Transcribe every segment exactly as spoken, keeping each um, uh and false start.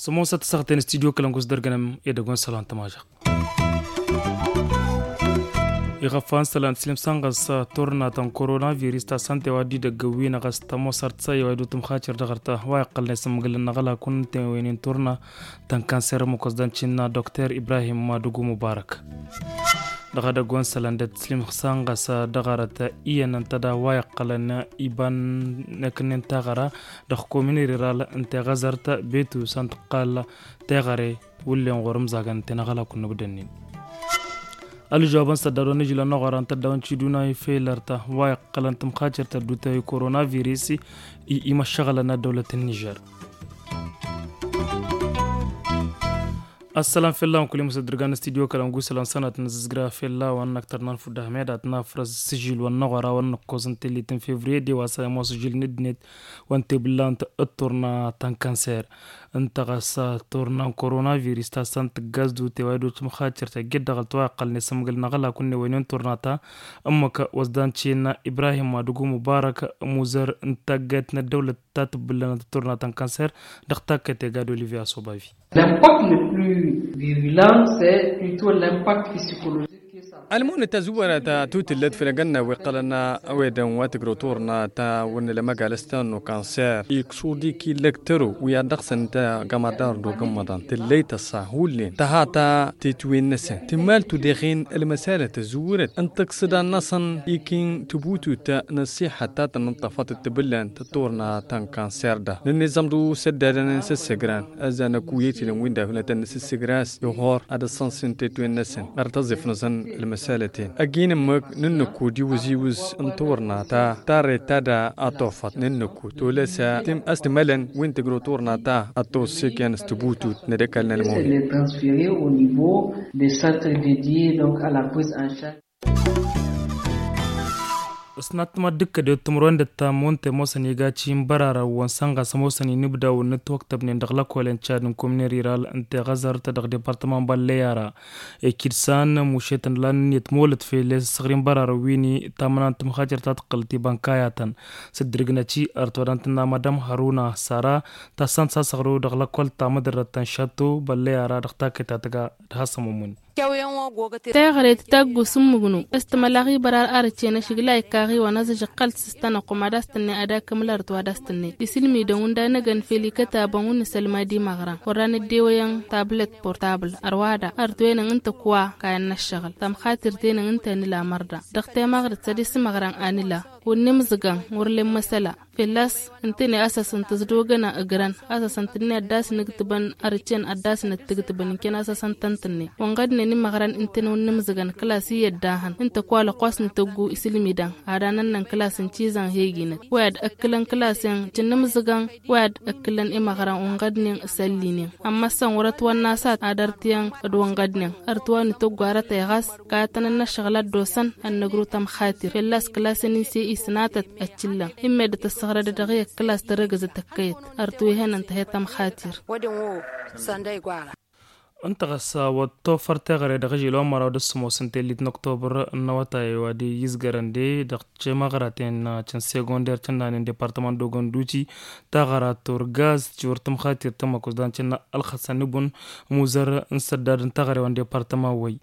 Sămoosăt s-aɣten studyo kălăngus dăr-gănăm edăgg wa n-sălan tămažăɣt. Iɣăffa n-sălan tǝslǝm s-anɣăs turna ta n-koronavirus ta s-ănta i-wa dd-idăgg wi-năɣ a-s tămoosărt sa i-wa dd-utǝmxatir dăɣ-arta wa iqqălnen s-ămmǝgǝlăn n-aɣălak n-tewăynen turna ta n-kanser ămmǝk wa s-dan-tinna dokter ibrahim madugu mubarak. Dăɣ-edăgg wa n-sălan dd-tǝslǝm s-anɣăs dăɣ-arăt iyyăn ǝnta da wa iqqălăn iba n-ekǝnnen taɣăra dăɣ-komin riral n-teɣăzărt betu s-ănta ǝqqal teɣăre wullen ɣur-ǝmzagăn ǝnta i-năɣălak n-nǝbdănnen. Ălžăwab n-săddad wa n-ižǝl wa n-aɣora n-tăddawăn tiduna ifel ărta wa iqqălăn tǝmxatir tăddutăy koronavirus i-imăššăɣălăn ăddăwlăt n-nižer. Ăssălam fell-a-wen kul-i măsăddărgan n-studyo kălăngu isălan sănat n-azǝzgra fell-a-wen n-aktăr n-anfud ahmed ad-nafrăs s-ižǝl wa n-aɣora wa n-năkkoẓ n-tellit n-fevriye d-e-wa s-ămoos ižǝl n-ǝddinăt wa n-tebǝllant d-turna ta n-kanser. Ǝnta ɣas turna n-koronavirus ta s-ănn tǝggaz d-uteway d-otǝmxatir ta ǝjjed dăɣ-alăt wa iqqălnen s-ămmǝgǝl n-aɣălak wa n-ewăynen turna ta ǝmmǝk wa s-dan-tinna ibrahim madugu mubarak muzăr n-taggayt n-ăddăwlăt ta tǝbbǝllănăt d-turna ta n-kanser. Dăɣ-takkăyt egad olivier asobavi. L'impact le plus virulent c'est plutôt l'impact psychologique. Ălmunǝt tazǝwwărăt tutǝllăt făll-egănna wi ǝqqălăn ăwedăn wa tǝgrăw turna ta wăr nǝla măgalăs ta n-ukanser iksud-ik illăk tăro wi ad-dăɣ-săn ǝnta gămărdar d-ogǝmmăḍăn tǝllăy tăṣṣa hullen tăha ta tetwen-năsăn tǝmmal tudeɣen ălmăsalăt tazǝwwărăt n-tăksǝdan-năsăn ikin tǝbutut n-ăṣṣiḥăt ta tăn-ǝnṭṭăfăt d-tibǝllan tăturna ta n-kanser da nǝnniẓăm d-usăddadăn n-săssăgran. Ăzzan ăkuyăt ilăn wi n-dafnătăn n-sǝssǝgras ihor ad-ăṣṣănsin tetwen-năsăn ɣăr tăẓifnăẓăn ălmăsalăten ăgg-in ǝmmǝk n-ǝnnǝkkud iwǝz-iwǝz n-turna ta tarret ta da ad-tofăḍ n-ǝnnǝkkud tolăsa tim ăstǝmălăn wi n-tǝgrǝw turna ta ad-tossek i-anăstǝbutut n-ad-ăkall n-ălmăwin. Transfere au niveau des centres dedie donc à la prise en charge. Ăsnat tămaddǝkkăd i-otǝmrăwen d-ăttammo ǝnta i-ămoosăn iga ci n-bărarăn-wăn sănɣas ămoosăn inǝbdawăn n-ǝtwăktăbnen dăɣ-lăkolen cad n-kumnen riral ǝnta i-ɣăzărăt dăɣ-departăman balleyara ekid san mušetăn lan ǝnniyăt molăt fel-e s-ăssăɣri n-bărarăn wi n-tamăna n-tǝmxacer ta tǝqqǝlăt ibănkayatăn. S-dd-irǝgnăt i-ărtwădăn tǝnna madam hăruna sara ta s-ănn s-asăɣru dăɣ-lăkol ta mădărrăt ta n-šatto balleyara dăɣ-takkăyt ta tǝga d-hasămumǝn. Teɣăre tǝtaggus n-mǝgnu s-tǝmălaɣ ibărar arăt-en ašǝgla ikkaɣ-iwăn azǝžǝqqăl d-sǝstanăɣ kuma d-as-tǝnnăy ad-akǝmǝl ărăt wa d-as-tǝnnăy isǝlmidăn wǝnda n-egăn fel ikătabăn wǝnnǝsălmad imăɣran wărran ăddewăyăn tablăt portabl ărwa da ărăt-wenăn ǝnta ǝkwa kayăn n-ăššăɣǝl tămxatir-tenăn ǝnta a nǝla mărda dăɣ-temăɣrǝt sădis imăɣran a nǝla wǝnnǝmzǝgăn wăr len măsăla. Fălla-s ǝntăne a-s ăsăn tǝzḍogăn a ǝgrăn a-s ăsăn tǝnnăy ad-dd-asnǝgtǝbăn ărǝcen ad-dd-asnăttǝgtǝbăn ǝnken a-s ăsăn tăn-tǝnnăy wănɣădnen imăɣran ǝntăne wănnǝmzǝgăn kǝlas i-ăddahăn ǝnta ǝkwa lăqqas nǝtăggu isǝlmidăn ad-anănnăn kǝlas n-cizăn heginăt. Wa i-ad-ǝkkǝlăn kǝlas-en cǝnnǝmzǝgăn wa i-ad-ǝkkǝlăn imăɣran wănɣădnen s-ăllinen ămmăssăn wăr-ătwănna a-s ad-ărtǝyăn d-wănɣădnen ărtǝwa nǝtăggu arătăy ɣas kayătăn n-ăššăɣǝl ad-dd-osăn ad-nǝgru tămxatir fălla-s kǝlasăn-in s-e-i sǝnatăt ăccǝllăn. Immedăt ăssăɣrădăd dăɣ-i ăkkǝlas tărăgǝzăt ăkkăyăt ărtǝwehăn ǝnta he-tămxatir. Ǝnta ɣas wăr tofăr teɣăre dăɣ-ižil wa n-măraw d-ǝssǝmos n-tellit n-oktobăr n-awătay wa d-izgărăn de dăɣ-timăɣraten căn segonder cănnanen departăman d-ogăn duti taɣăra turgaz tiwăr tǝmxatir tămmăkos dan cănna ălxăsăn ibun muzăr n-săddad n-taɣăre wa n-departăman wăy.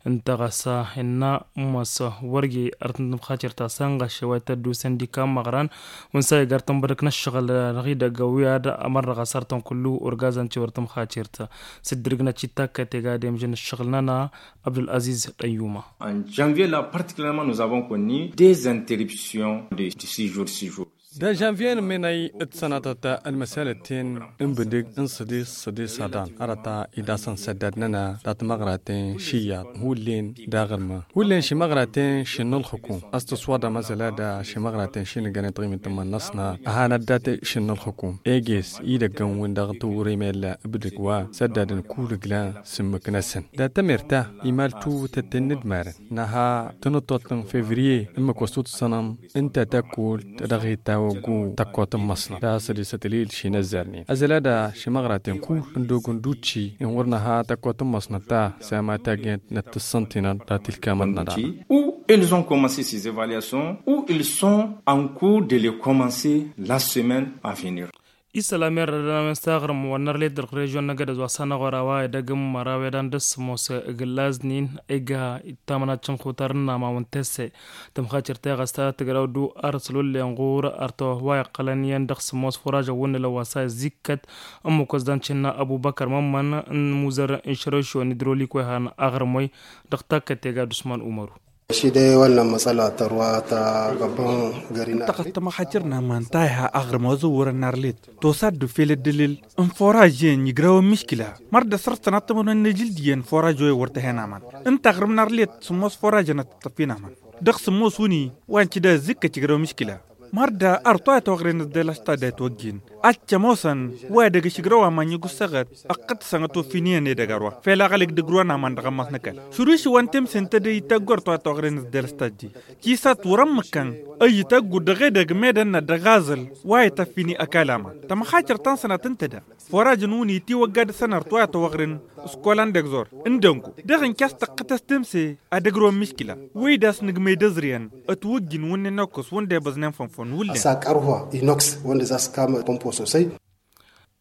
Ǝnta ɣas innă ǝmmăs wăr-ge ărtăn tǝmxatir ta sănɣăše wa ităddu săndika n-imăɣran wǝnsa igar tănbădăk n-ăššăɣǝl dăɣ-idăgg wi ad-ămărnăɣ asărtăn kullu urgazăn tiwăr tǝmxatir ta s-dd-irǝgnăt i-takkăyt iga demžăn ăššăɣǝl-nănăɣ. Abdul-aziz dăyyuma. En janvier la particulièrement nous avons connu des interruptions de six jours six jours. Dăr-žănviye n-ǝmmenăy d-sănatăt ălmăsalăt-ten n-bǝdǝg n-sădis sădis aḍan arăt idasăn săddad-nănăɣ dat-măɣraten šiyyaḍ hullen d-aɣrǝmăn hullen šimăɣraten šin n-ǝlxǝkum. A-s tǝswaḍăm azăla da šimăɣraten šin ǝggănen taɣimit n-iman-năsnăɣ a hanăt dat-šin n-ǝlxǝkum eges idăggăn-win dăɣ-tawrem ella ǝbdǝg wa săddadăn kull ǝglan s-ǝmmǝk-năsăn dat-tămer ta imal tuwǝtăt tennǝdmarăn. Năha tănăṭṭoḍt n-fevriye ǝmmǝk wa s-tutǝssănăm ǝnta takkult dăɣ-ittawăɣ. Ogu tăkkot n-măsnăt ta sădisăt ălil šinăzzarnen ăzălada šimăɣraten kull ăndog ănducci inwăr năha tăkkot n-măsnăt ta săma tagent n-ad-tǝssăntinăn ta tilkamăt n-ad-a. Où ils ont commencé ces évaluations, où ils sont en cours de les commencer la semaine à venir. Isălam irrădăn a-wen s-aɣrǝm wa n-arlet dăɣ-režion n-egădăz wa s-anăɣora wa edăgg n-măraw edan dăr-s ămoos ǝgǝllaznin ega ittamănac n-xutar n-amawăn tesse. Tămxacărt teɣăsta tǝgraw du ar s-lullen ɣur-ărtăwăh wa iqqălăn iyyăn dăɣ-s ămoos furažăn wǝnnǝlăn wa s-a izikkăt ǝmmǝk wa s-dan cǝnna ăbubăkăr mămmăn n-imuzărrăn n-išrăwšiwăn idrolik wa ihan aɣrǝm-wi. Dăɣ-takkăt tega d-usman umăru. Ăšidăy wănnăn măsăla tărwa ta găbăn gări n-arlit. Tăɣăt tămăxacăr n-aman ta iha aɣrǝm wa zăwwărăn n-arlit. Tosa dd-ufel ăddălil n-furaž-en igrăwăn miškila. Măr dd-ăsrăstăn ad-tămănăn n-ejǝld iyyăn furaž-oy wăr tăhen aman. Ǝnta aɣrǝm n-arlit sǝmmos furažăn ad-tăt-tăffin aman. Dăɣ-sǝmmos wǝnni wa n-cǝda ăzzikkăt igrăwăn miškila. Măr dd-ărtoyăt oɣren s-dăl-ăštadda itwăjjin. Ad-t-ămoosăn wa edăgg ašǝgrăw aman i-gusseɣăt. Ăqqăt-săn ătofin iyyăn edăgg ărwa fel aɣălăk d-ǝgrǝwăn aman dăɣ-ămmas n-ăkall. Šuruš-i wa n-temse n-tedăy ităggu ărtoyăt oɣren s-dăl-ăštaddi. Tisat wăr-ămmǝkkăn ăyyǝtăggu dăɣ-edăgg medănna dăɣ-aẓǝl wa ităffini ăkall aman. Tămăxacăr ta n-sănat n-tedă. Furažăn wǝnni itiwăgga dăɣ-săn ărtoyăt oɣren. S-kolan dăgg-zor n-dăngu dăɣ-inkas tăqqǝtăs temse ad-ǝgrǝwăn miškila. Wăy d-a-s nǝgmăy d-ăẓriyăn ătwǝjjǝn wǝnnin ăkkus wǝnda ibăẓnen fănfăn wǝllen. Ăsakărha inoks wănda za s-kam pompo sosăy.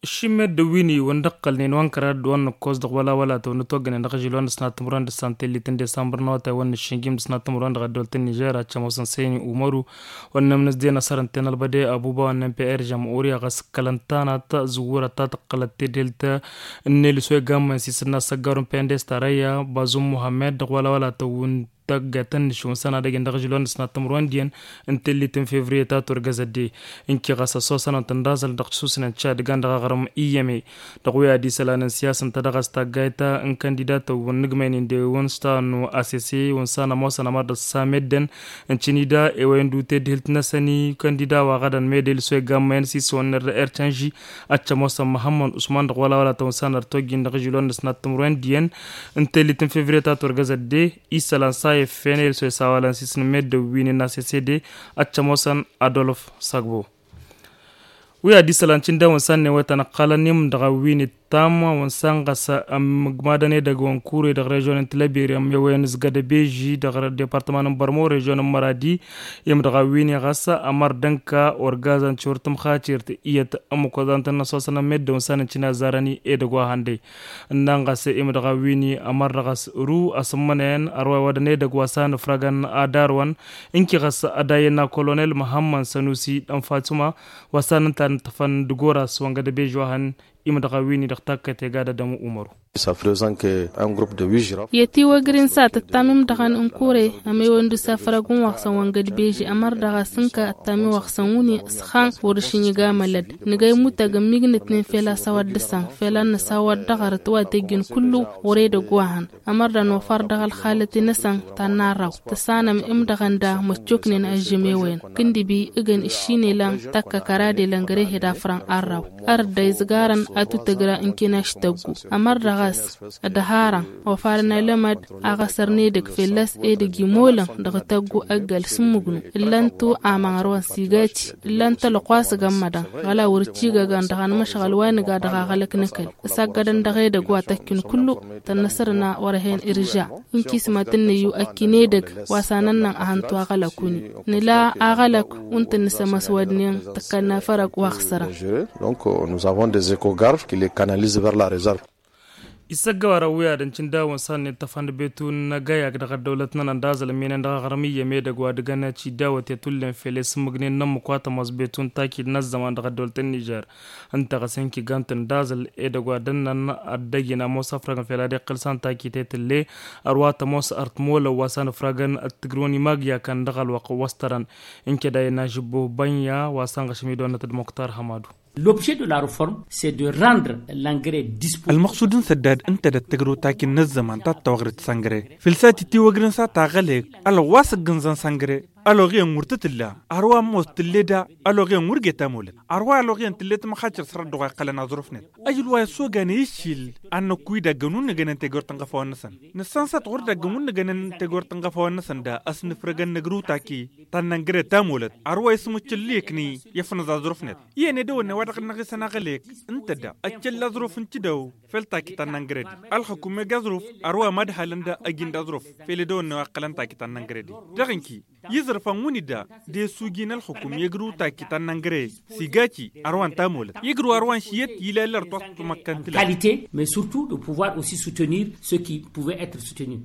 Ǝššimmed d-wi n-iwăn d-ǝqqălnen wa n-kăradd wa n-nǝkkos dăɣ-wăla wăla tăwăn-ătwăggănen dăɣ-ažil wa n-dăɣ-s n-ad-tǝmrăn d-santellităn desambăr n-awătay wa n-nǝššǝnjim dăɣ-s n-ad-tǝmrăn dăɣ-ăddolăt n-nižer ad-cămoosăn seni umaru. Wa n-nămnǝs den asăr ǝnta i-nălbăde abuba wa n-n p r žămɣurya ɣas ǝkkălăn tanat zǝwwărăt ta tǝqqălăt tedhelt n-elǝs wa igammayăn s-isǝnna s-ăggaru n-pendes tarăyya bazum muhammed dăɣ-wăla wăla tăwwǝn tăggatăn n-išǝwǝn săn ad-ăjǝn dăɣ-ažǝl wa n-dăɣ-s n-ad-tǝmrǝwăn diyyăn. N-tellit n-fevriye ta turgăzăt de ǝnki ɣas ăssosăn-ănt n-daẓăl dăɣ-tisusnen tišadǝgan dăɣ-aɣrǝm iyyăme. Dăɣ-wi ad-isălan n-siyasăn ta dăɣ-s taggayt ta n-kandidatăn wa n-nǝgmăynen de wa n-s ta n-ass wa n-s a n-ămoosăn ămăr dăɣ-s a meddǝn. N-cǝnida ewăyăn d-utedhǝlt-năsăn i-kandida wa ɣădăn medel s-wa igammayăn s-isăwăn n-err-ercănži. Ad-t-ămoosăn măhămmăn usman dăɣ-wăla wăla tăwăn s-a n-ărtojjin dăɣ-ažǝl wa n-dăɣ-s n-ad-tǝmrǝwăn diyyăn. N-tellit n-fevriye ta turgăzăt de isălan s-a iffen elso isawalăn s-isǝnmedden wi n-inna sesede. Ad-t-ămoosăn adolf sagbo. Wi ad-isălan cǝndawăn s-a n-newătăn ăqqalăn imdăɣ a wi n-ittam wa n-săn ɣas ămmǝgmadăn edăgg wa n-kure dăɣ-režyon n-tilăbiri ămmewăyăn s-gădăbeži dăɣ-departăman n-bărmo režyon n-măradi. Imdăɣ a wi n-iɣas ămăr dănka orgazăn tiwăr tǝmxacirt iyyăt ămmǝk wa d-antăn n-ăsosăn ămmedden wa n-săn n-cǝnazarăn edăgg wa hăndăy. Ǝnnan ɣas imdăɣ a wi n-ămăr dăɣ-s ru asǝmmănăyăn ărwa iwădăn edăgg wa s-a n-ǝfrăgăn adarwăn. Ǝnki ɣas ad-ayyănna kolonel măhămmăn sănusi d-ănfatsuma wa s-a n-ǝnta n-tăfăn d-goras wa n-gădăbež wa hăn. Imdăɣ a wi n-idăɣ takkăt egad ad-ămu umăru. Iyyăt iwăgrin s-ad-tǝttam imdăɣăn n-kure ămewăn d-usafrăg n-iwaɣsăn wa n-gădbeži ămăr dăɣ-asǝnka ăttam iwaɣsăn wǝnni s-xan wăr-ǝšǝnjǝg amălăd. Nǝgăy mutăg ǝmmigǝnătnen fel a-s a-wa dd-ǝssan fel ad-năsawăt dăɣ-arăt wa tejjǝn kullu wăr-edăgg wa hăn. Ămăr d-anofar dăɣ-ălxalăte-năsăn ta n-arraw tăsanăm imdăɣăn da măccoknen ažžǝmewăyăn. Kǝndǝbi ǝgăn ǝššinelăn tăkkăkăradelăn gărehed afrăn arraw. Ărăt da izgarăn atutăgra ǝnken aštăggu. Ămăr dăɣ-a-s ădharăn ofarăn alămăd aɣăsăr n-edăgg fălla-s edăgg imolăn dăɣ-tăggu ăggal s-ǝmmǝgnu. Ǝllan-tu aman ărwăn s-igati ǝllan-t ălɣwas gămmădăn ɣăla wăr-ăcigăgăn dăɣ-anmăšɣăl wa nǝga dăɣ-aɣălăk n-ăkall. Ǝsaggădăn dăɣ-edăgg wa tăkkin kullu tănnăsărna wăr-ăhen irja. Ǝnkismăt n-năyyu ăkkin edăgg wa s-anănnăn ahăntu aɣălăk-wǝnni. Nǝla aɣălăk wa n-tăn-nǝsămăs wădnen tǝkkălna fărăg wa ăɣsărăn. Donc nous avons des échographes qui les canalisent vers la réserve. Isăggăwar ăwwiyadăn cǝndawăn s-a n-ittăfăn d-betu n-agayag dăɣ-ăddăwlăt-nănăn d-aẓăl ămminăn dăɣ-aɣrǝm iyyăm edăgg wa d-ǝgăn ăcidawăt i-tullem fel i-sǝmmǝgnen n-ămmǝk wa tămoos betu n-taki d-inăzzăman dăɣ-ăddăwlăt n-nižer. Ǝnta ɣas ǝnki gant n-daẓǝl edăgg wa dănnăn ad-dăgg-in ămoos ăfrăgăn fel ad-iqqǝl s-a n-taki tetǝlle. Ărwa tămoos ărtmolăn wa s-a n-ǝfragăn d-tǝgrǝwăn imagǝy akăn dăɣ-ălwăqq wa s-tărăn. Ǝnke d-a-ina žǝbbo bănya wa s-ănɣăšăm idonnăt d-muktar hămadu. L'objet de la reforme c'est de rendre l'engrais disponible. Ălmăqsud n-săddad ǝnta d-ad-tǝgrǝw taki n-ăzzăman ta t-tawăɣret s-engrais. Fǝlsa titiwăgrǝn s-a taɣălek ălɣas ǝggǝnzăn s-engrais. Ăloɣ iyyăn wăr t-tǝlla. Arwa ămoos tǝlle da. Ăloɣ iyyăn wăr geta molăt. Arwa ăloɣ iyyăn tǝlle tămăxacer sărăt dăɣ-wa iqqălăn aẓrǝf-net. Ăjǝl wa issoganen iššil. Ad-năkku idaggan wăr nǝgănen tegort n-iɣăfawăn-năsăn. Nǝssan s-ad-tɣur idaggan wăr nǝgănen tegort n-iɣăfawăn-năsăn da ăsnǝfrăgăn năgrǝw taki. Tannăngre ta molăt arwa ismǝccǝllǝyăknăy. Ifnǝẓ aẓrǝf-net. Iyyăn edăwănne wa dăɣ-năɣ isăn aɣălek. Ǝnta da ăccălla aẓrǝf n-tǝdăw. Fel taki tannăngre-di. Ălxǝkum eg aẓrǝf. Arwa mad-halăn da ăjin d-aẓrǝf. Fel edăwănne wa ǝqqălăn taki tannăngre-di. Dăɣ-inki iẓrǝfăn wǝnni da. D-esuji n-ălxǝkum i-ǝgrǝw taki tannăngre. S-igaci arwan tamolăt i-ǝgrǝw arwan šiyăt. Ilal ărtwăt tǝmăkkăn tǝla. Qualité mais surtout de pouvoir aussi soutenir ceux qui pouvaient être soutenus.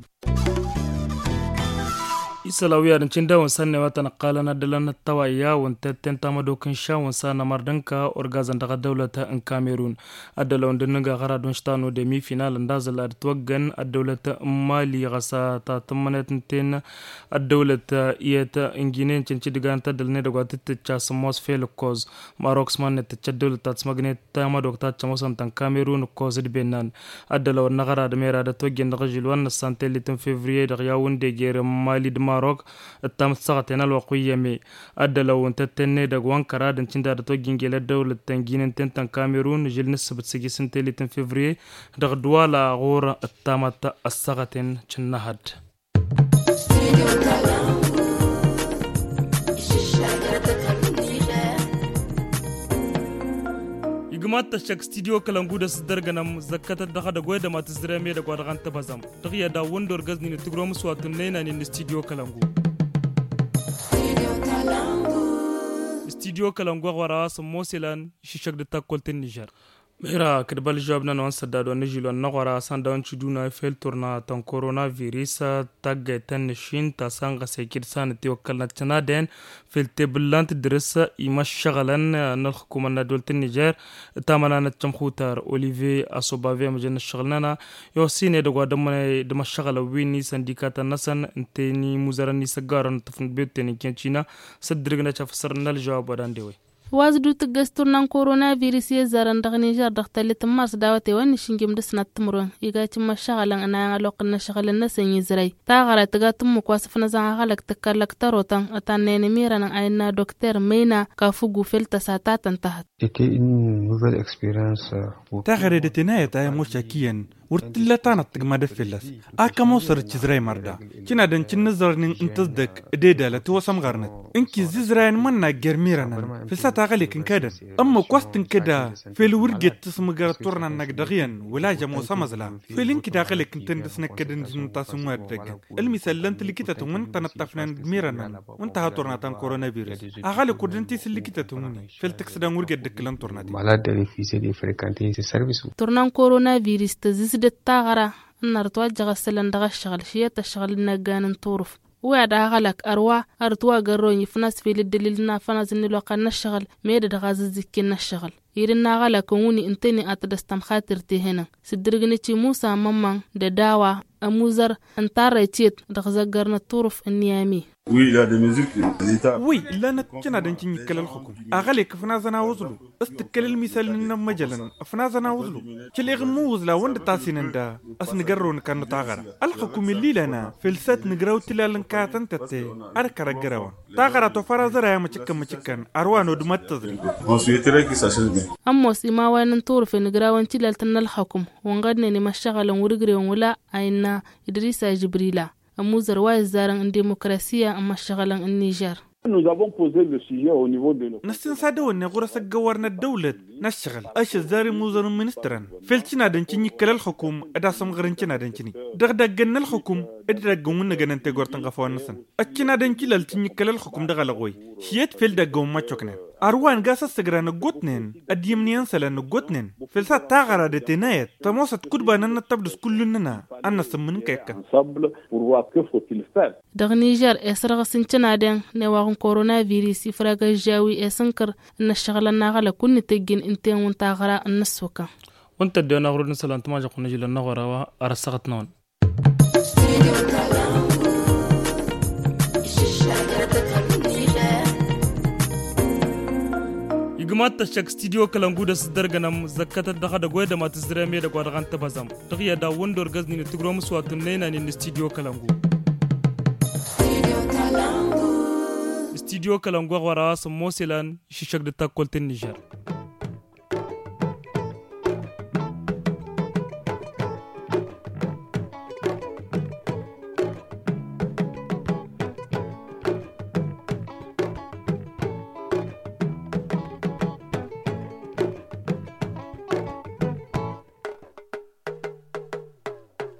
Isălan wi ad-ǝncǝn dawăn sănnăy wa tăn-ǝqqalăn ad-dălăn ăttăwayya wăn tetten tamădok n-išan wăn s-anămăr d-ǝnka orgazăn dăɣ-ăddăwlăt n-kamerun. Ad-dălăn wăn d-ǝnnǝga ɣăra d-wăn štanăw demi final ǝnda zăl ad-ǝtwăggăn ăddăwlăt n-mali ɣas a ta tǝmmănet n-ten. Ăddăwlăt iyyăt n-ginen cǝncǝdǝgan tăddălnet dăgg-wa tǝttǝcca s-ămoos fel ǝkkoẓ. Marok s-mannăt tǝcca ăddăwlăt ta tǝsmăgnet tamădok ta tǝcca ămoosăn ta n-kamerun ǝkkoẓ d-bennan. Ăddălăn wăn n-aɣăra d-mera d-ătwăjjăn dăɣ-ažǝl wa n-năssan tellit n-fevriye dăɣ-yaw n-deger n-mali d-marok. Ǝttam d-săɣăten ălwăqq wi iyyăm-e. Ăddălăn wăn tăttenne dăgg-wa n-kăra d-ǝncǝn da d-ătwăjjăn gel ăddăwlăt n-ginen ten ta n-kamerun žǝl n-ǝssǝbǝt s-ejǝs n-tellit n-fevriye. Dăɣ-dwala ɣur-ǝttamăt ăssăɣăten cǝnnăhăd. Igmat tăššăk studio kălăngu d-asǝddărgănăm zăkkătăt dăɣ-edăgg wa edăma tǝzzrem edăgg wa dăɣ-antăbăzăm. Dăɣ-i ad-awǝn d-orgăz-nin ǝttǝgromǝs wa tunnăynan-in n-studio kălăngu. Studio kălăngu a ɣur-a wa s-ămmoos ilan išǝššăk d-takkălt n-nižer. Mera kăd-băl žăwab-năn wa n-sădda d-wa n-ažil wa n-aɣora a-s anda wa n-tiduna fel turna ta n-korona virus. Taggayt ta n-nǝššin ta s-anɣăs ekid s-anăt iwăkkălnăt cănaden fel tebǝllant dăr-s imăššăɣǝlăn n-ălxǝkumăn n-ăddolt n-nižer. Tamănanăt cămxutar olivier asobave amăjăn n-ăššăɣǝl-năna. I-osin edăgg wa d-ămmănăy d-imăššăɣǝlăn wi n-isăndikatăn-năsăn ǝnta i-inǝmuzărăn n-isăggarăn n-tǝfnǝd bebten n-kăncina. S-ăddǝrǝgnăt afǝsăr n-ălžăwab wa d-ande-we. Wa s-dd-utǝggăs turna n-korona virus i-ăzzarăn dăɣ-nižer dăɣ-tăllit n-mars d-awătay wa n-išǝnjǝm dăɣ-sănat timǝrwen. Iga cǝmmăššăɣǝlăn ănayăn ălwăqq n-inăšɣǝl-năsăn izray taɣăra tǝga tǝmmǝk wa s-ǝfnăzăn aɣălăk tǝkkăllăk tărotăn. Tannăyăn ămirănăn a innă dokter măyna kafǝgu fel tăsa ta tăn-tahăt. Taɣăre d-ătenayăt a i-ămošak iyyăn wăr t-tǝlla tanăt tǝgmadăt fălla-s. Ak ămoosăr d-tizray mărda cǝnadăn cǝnnǝẓrănen n-tǝzdăk d-edalăt i-wăsămɣărnăt. Ǝnki ǝzzizrayăn mănna ger mirănăn făl s-ad-taɣălek n-kadăn. Ǝmmǝk wa s-tǝnkăda fel wăr jet tǝsmǝgărăt turna-năk dăɣ-iyyăn wăla žămoos amăẓla. Fel ǝnki d-aɣălek ǝntăn dăɣ-s năkkădăn d-inǝntas n-wa dd-ăggăn. Ǝlmisăllăn tǝlǝkitătăn wa n-tănăṭṭăfnen d-mirănăn wa n-tăha turna ta n-korona virus. Aɣălek wăr dăn-tisǝllǝkitătăn wǝnni fel tǝksǝdăn wăr jet dd-ǝkkǝlăn turna-ti. Turna n-korona virus tăzzǝsdăt taɣăra n-arăt wa ăjjăɣ ăssălăn dăɣ-ăššăɣǝl šiyăt ăššăɣǝl n-inăggan n-turǝf. Wi ad-aɣălăk ărwa arăt wa gărrăwăn ifnas fel ǝddălil n-afănaz n-ilwăqqa n-ăššăɣǝl. Med-dăɣ a zǝzzǝkken n-ăššăɣǝl. Ed n-aɣălăk n-wǝnni ǝntăne ad-t-dd-ăstămxatir tihănăn s-ǝddǝrǝgnăt i-musa mămmăn d-ădawa ămuzăr n-tarrăyt iyyăt dăɣ-zăggăr n-ăṭṭurǝf n-niyami. Wi ǝllanăt cǝnadăn cǝnyikkăl ălxukum aɣălek ǝfnazăn a wǝẓlu. S-tǝkkăl ălmisal n-inămmăjălăn ǝfnazăn a wǝẓlu. Căleɣ n-imǝwwǝẓla wăn dd-tasinăn da ăsnǝgărrăw n-kănnu taɣăra. Ălxukum ǝlli lana fel s-ad-t-nǝgraw tilal n-kayăt n-tătte. Ad-kăr-ăggărăwăn taɣăra tofăr aẓăray a măcǝkkăn măcǝkkăn. Ărwa n-odmăt tǝẓri. Ămoos imawayăn n-turǝfen ǝgrawăn tilalt n-ălxăkum wănɣădnen imăššăɣălăn wăr-ǝgrewăn wăla a innă idrisa žǝbrila. Ămuzăr wa izzarăn n-dimukrasiya n-imăššăɣălăn n-nižer. Năssinsad ăwănne ɣur-s ăggăwar n-ăddăwlăt n-ăššăɣǝl ašăzzar imuzăr n-ministărăn fel cǝnadăn cǝnyikkăl ălxukum. D-asǝmɣăr n-cǝnadăn cǝni dăɣ-daggăn n-ălxukum. D-daggăn wǝnnăgăn n-tegort n-iɣăfawăn-năsăn ăccǝnadăn cǝlal cǝnyikkăl ălxukum dăɣ-alăɣoy. Šiyăt fel daggăn wămmăccoknen arwa n-gas ăssăgra n-ăggootnen ăddimniyăn isălan n-ăggootnen fel s-ad-taɣăra d-ătenayăt tămoosăt kudba n-ad-năttăbdǝs kull-nănăɣ. Ad-năsǝmmǝn n-kăy-ăkkăn. Dăɣ-nižer esărɣǝs n-cǝnadăn n-ewaɣ n-korona virus ifrag ăžžawi esǝnkăr n-ăššăɣǝlăn n-aɣălăk wǝnnǝtăjjǝn ǝnta-en wǝnta aɣra n-năssukăn. Wǝnnǝtăjjǝn aɣrud n-isălan tǝmažăɣt n-ažǝl ănnăɣora wa arăsăɣăt-năwăn. Igmat tăššăk studio kălăngu d-asǝddărgănăm zăkkătăt dăɣ-edăgg wa edăma tǝzzǝrem edăgg wa dăɣ-antăbăzăm. Dăɣ-i ad-awǝn d-orgăznin ǝttǝgromǝs wa tunnăynan-in n-studio kălăngu. Stidyo kălăngoɣ wăr-a wa s-ămmoos ilăn išǝššăk d-takkălt n-nižer.